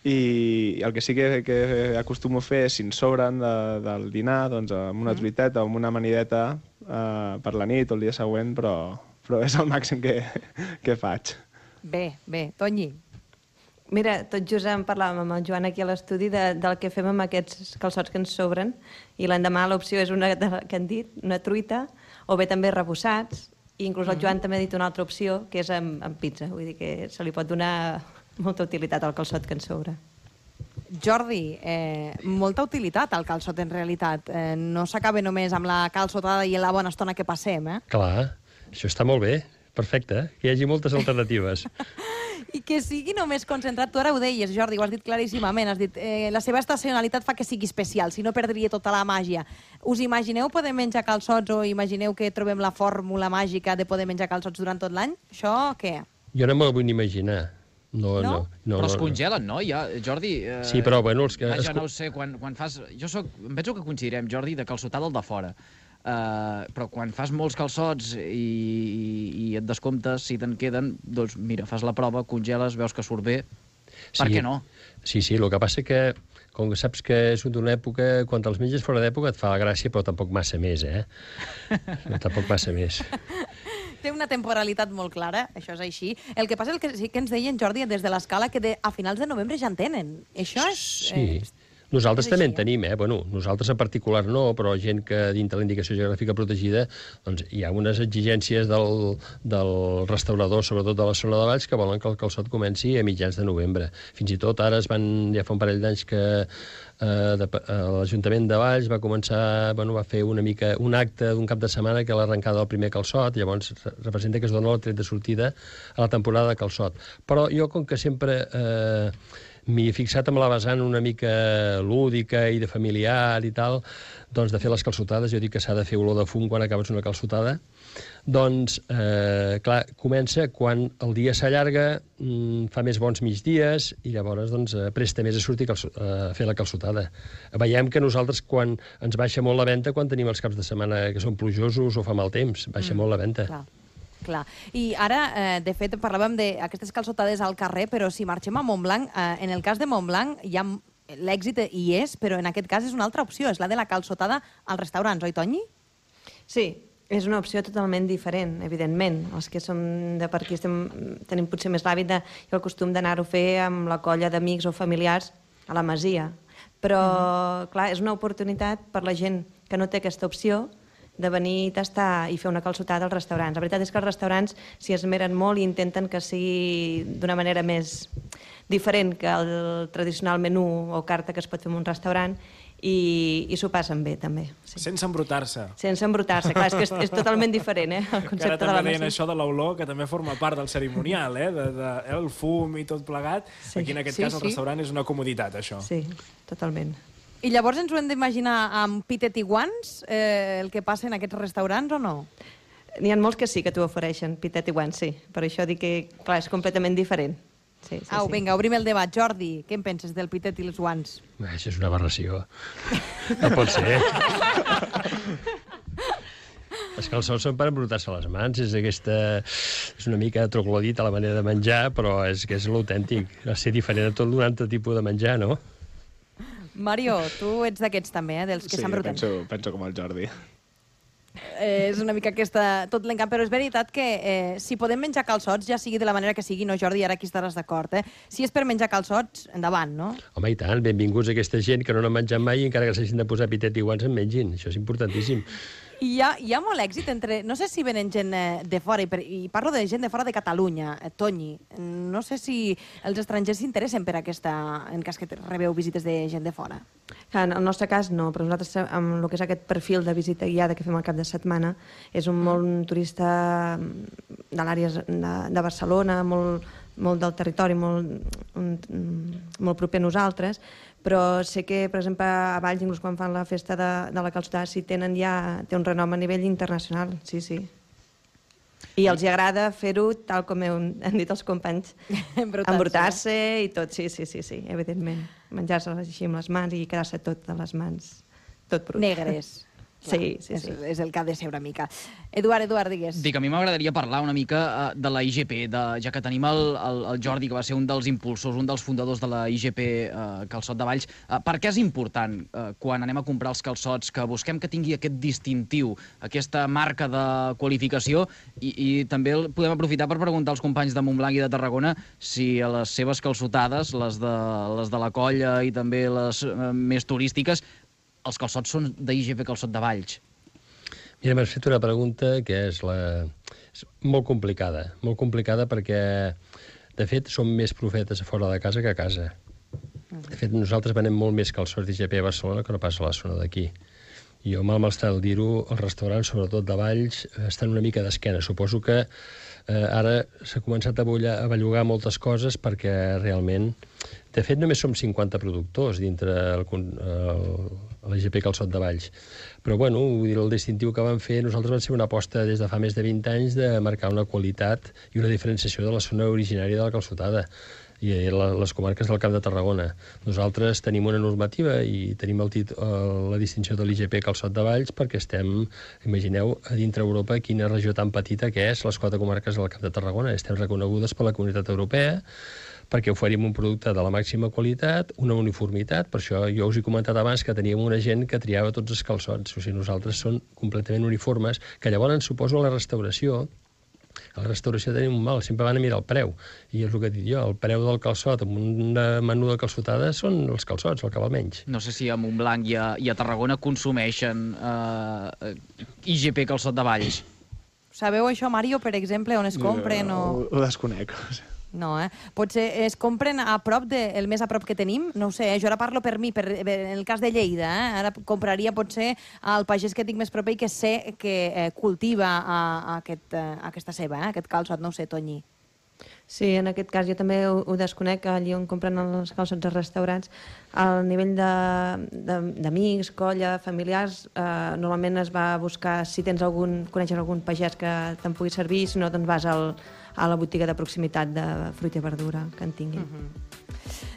D: i el que sí que acostumo a fer és, si ens sobren del dinar, doncs amb una truiteta o amb una amanideta per la nit o el dia següent, però és el màxim que faig.
B: Bé, Toni.
M: Mira, tot just en parlàvem amb el Joan aquí a l'estudi del que fem amb aquests calçots que ens sobren, i l'endemà l'opció és una que han dit, una truita, o bé també rebossats, i inclús el Joan també ha dit una altra opció, que és amb pizza. Vull dir que se li pot donar molta utilitat al calçot que ens sobra.
B: Jordi, molta utilitat al calçot en realitat. No s'acaba només amb la calçotada i la bona estona que passem, eh?
O: Clar, això està molt bé. Perfecte, que hi hagi moltes alternatives.
B: I que sigui només concentrat. Tu ara ho deies, Jordi, ho has dit claríssimament. Has dit, la seva estacionalitat fa que sigui especial, si no perdria tota la màgia. Us imagineu poder menjar calçots o imagineu que trobem la fórmula màgica de poder menjar calçots durant tot l'any? Això què?
O: Jo no me'l vull ni imaginar. No.
N: Però es congelen, no? Ja, Jordi...
O: Sí, però bueno...
N: Jo no ho sé, quan fas... Em penso que coincidirem, Jordi, de calçotada al de fora. Però quan fas molts calçots i et descomptes, si te'n queden, doncs mira, fas la prova, congeles, veus que surt bé. Per què no?
O: Sí, el que passa que com que saps que és d'una època, quan te'ls menges fora d'època et fa la gràcia, però tampoc massa més, No, tampoc massa més.
B: Té una temporalitat molt clara, això és així. El que passa és que sí que ens deien, Jordi, des de l'Escala, que a finals de novembre ja en tenen. Això és...
O: Sí. Nosaltres també en tenim, Bueno, nosaltres en particular no, però gent que dintre la indicació geogràfica protegida, doncs hi ha unes exigències del restaurador, sobretot de la zona de Valls, que volen que el calçot comenci a mitjans de novembre. Fins i tot ara ja fa un parell d'anys que l'Ajuntament de Valls va començar, va fer un acte d'un cap de setmana que l'arrencada del primer calçot, llavors representa que es dona el tret de sortida a la temporada de calçot. Però jo, com que sempre m'hi he fixat amb la vessant una mica lúdica i de familiar i tal, doncs de fer les calçotades, jo dic que s'ha de fer olor de fum quan acabes una calçotada, doncs, clar, comença quan el dia s'allarga, fa més bons migdies i llavors doncs, presta més a sortir a fer la calçotada. Veiem que nosaltres quan ens baixa molt la venda quan tenim els caps de setmana que són plujosos o fa mal temps, baixa molt la venda.
B: Clar. I ara, de fet, parlàvem d'aquestes calçotades al carrer, però si marxem a Montblanc, en el cas de Montblanc l'èxit hi és, però en aquest cas és una altra opció, és la de la calçotada als restaurants, oi, Tonyi?
M: Sí, és una opció totalment diferent, evidentment. Els que som de per aquí tenim potser més l'hàbit i el costum d'anar-ho a fer amb la colla d'amics o familiars a la masia. Però, clar, és una oportunitat per la gent que no té aquesta opció de venir, tastar i fer una calçotada als restaurants. La veritat és que els restaurants s'hi esmeren molt i intenten que sigui d'una manera més diferent que el tradicional menú o carta que es pot fer en un restaurant i s'ho passen bé, també. Sí.
K: Sense embrutar-se.
M: Sense embrutar-se, clar, és que és totalment diferent, el concepte de la
K: massa. Ara també deien això de l'olor, que també forma part del cerimonial, el fum i tot plegat. Sí. Aquí, en aquest cas, el restaurant és una comoditat, això.
M: Sí, totalment.
B: I llavors ens ho hem d'imaginar amb pitet i guants, el que passa en aquests restaurants o no?
M: N'hi ha molts que sí que t'ho ofereixen, pitet i guants, sí. Per això dic que, clar, és completament diferent. Sí.
B: Vinga, obrim el debat. Jordi, què en penses del pitet i els guants?
O: Això és una aberració. No pot ser. Els calçots són per embrutar-se les mans, és una mica troglodit a la manera de menjar, però és que és l'autèntic. Ha de ser diferent de tot un altre tipus de menjar, no?
B: Mario, tu ets d'aquests també, dels que s'embruten.
D: Sí, penso com el Jordi.
B: És una mica tot l'encant, però és veritat que si podem menjar calçots, ja sigui de la manera que sigui, no, Jordi, ara aquí estaràs d'acord, si és per menjar calçots, endavant, no?
O: Home, i tant, benvinguts a aquesta gent que no n'han menjat mai i encara que s'hagin de posar pitet i guants en mengin, això és importantíssim.
B: I hi ha molt èxit entre... No sé si venen gent de fora, i parlo de gent de fora de Catalunya, Tonyi. No sé si els estrangers s'interessen per aquesta... en cas que rebeu visites de gent de fora.
M: En el nostre cas no, però nosaltres amb el que és aquest perfil de visita guiada que fem al cap de setmana és un molt turista de l'àrea de Barcelona, molt del territori, molt proper a nosaltres, però sé que, per exemple, a Valls, inclús quan fan la festa de la calçotada, sí té un renom a nivell internacional, sí. I els agrada fer-ho, tal com han dit els companys, embrutar-se i tot, sí, evidentment. Menjar-se així amb les mans i quedar-se tot a les mans, tot brut.
B: Negres.
M: Sí.
B: És el que ha de ser una mica. Eduard, digues.
N: Dic, a mi m'agradaria parlar una mica de la IGP, ja que tenim el Jordi, que va ser un dels impulsors, un dels fundadors de la IGP Calçot de Valls. Per què és important, quan anem a comprar els calçots, que busquem que tingui aquest distintiu, aquesta marca de qualificació, i també podem aprofitar per preguntar als companys de Montblanc i de Tarragona si a les seves calçotades, les de la colla i també les més turístiques, els calçots són d'IGP Calçot de Valls.
O: Mira, m'has fet una pregunta que és molt complicada perquè, de fet, som més profetes a fora de casa que a casa. De fet, nosaltres venem molt més calçots d'IGP a Barcelona que no pas a la zona d'aquí. I jo, mal m'està dir-ho, els restaurants, sobretot de Valls, estan una mica d'esquena. Suposo que ara s'ha començat a bellugar moltes coses perquè realment... De fet, només som 50 productors dintre l'IGP Calçot de Valls. Però, bueno, el distintiu que vam fer, nosaltres vam ser una aposta des de fa més de 20 anys de marcar una qualitat i una diferenciació de la zona originària de la calçotada i les comarques del Camp de Tarragona. Nosaltres tenim una normativa i tenim la distinció de l'IGP Calçot de Valls perquè estem, imagineu, a dintre Europa, quina regió tan petita que és les 4 comarques del Camp de Tarragona. Estem reconegudes per la Comunitat Europea perquè oferim un producte de la màxima qualitat, una uniformitat, per això jo us he comentat abans que teníem una gent que triava tots els calçots, o sigui, nosaltres són completament uniformes, que llavors suposo a la restauració tenim un mal, sempre van a mirar el preu, i és el que he dit jo, el preu del calçot amb un menú de calçotada són els calçots, el que val menys.
N: No sé si a Montblanc i a Tarragona consumeixen IGP calçot de Valls.
B: Sabeu això, Mario, per exemple, on es compren?
D: Ho desconec.
B: No, Potser es compren a prop el més a prop que tenim? No ho sé, jo ara parlo per mi, en el cas de Lleida, Ara compraria potser al pagès que tinc més proper i que sé que cultiva aquesta ceba, aquest calçot, no ho sé, Tonyi.
M: Sí, en aquest cas jo també ho desconec, allí on compren els calçots als restaurants, al nivell d'amics, colla, familiars, normalment es va buscar si coneixes algun pagès que te'n pugui servir, si no, doncs vas a la botiga de proximitat de fruita i verdura que en tinguin.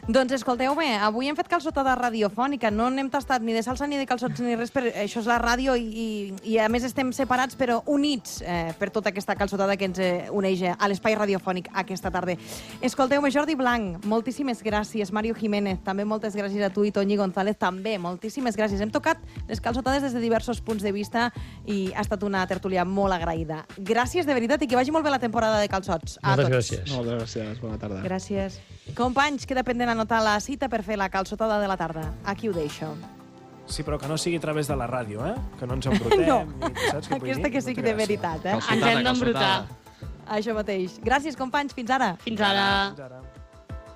B: Doncs escolteu-me, avui hem fet calçotada radiofònica, no n'hem tastat ni de salsa ni de calçots ni res, això és la ràdio i a més estem separats però units per tota aquesta calçotada que ens uneix a l'espai radiofònic aquesta tarda. Escolteu-me, Jordi Blanc, moltíssimes gràcies. Mario Jiménez, també moltes gràcies a tu, i Toñi González, també, moltíssimes gràcies. Hem tocat les calçotades des de diversos punts de vista i ha estat una tertúlia molt agraïda. Gràcies de veritat i que vagi molt bé la temporada de calçots.
O: Moltes gràcies.
D: Moltes gràcies, bona tarda.
M: Gràcies.
B: Companys, queda pendent anotar la cita per fer la calçotada de la tarda. Aquí ho deixo.
K: Sí, però que no sigui a través de la ràdio, Que no ens embrutem.
B: No,
K: saps què vull dir?
B: aquesta que sigui de veritat,
C: Ens hem d'embrutar.
B: Això mateix. Gràcies, companys. Fins ara.
C: Fins ara.
K: Fins ara.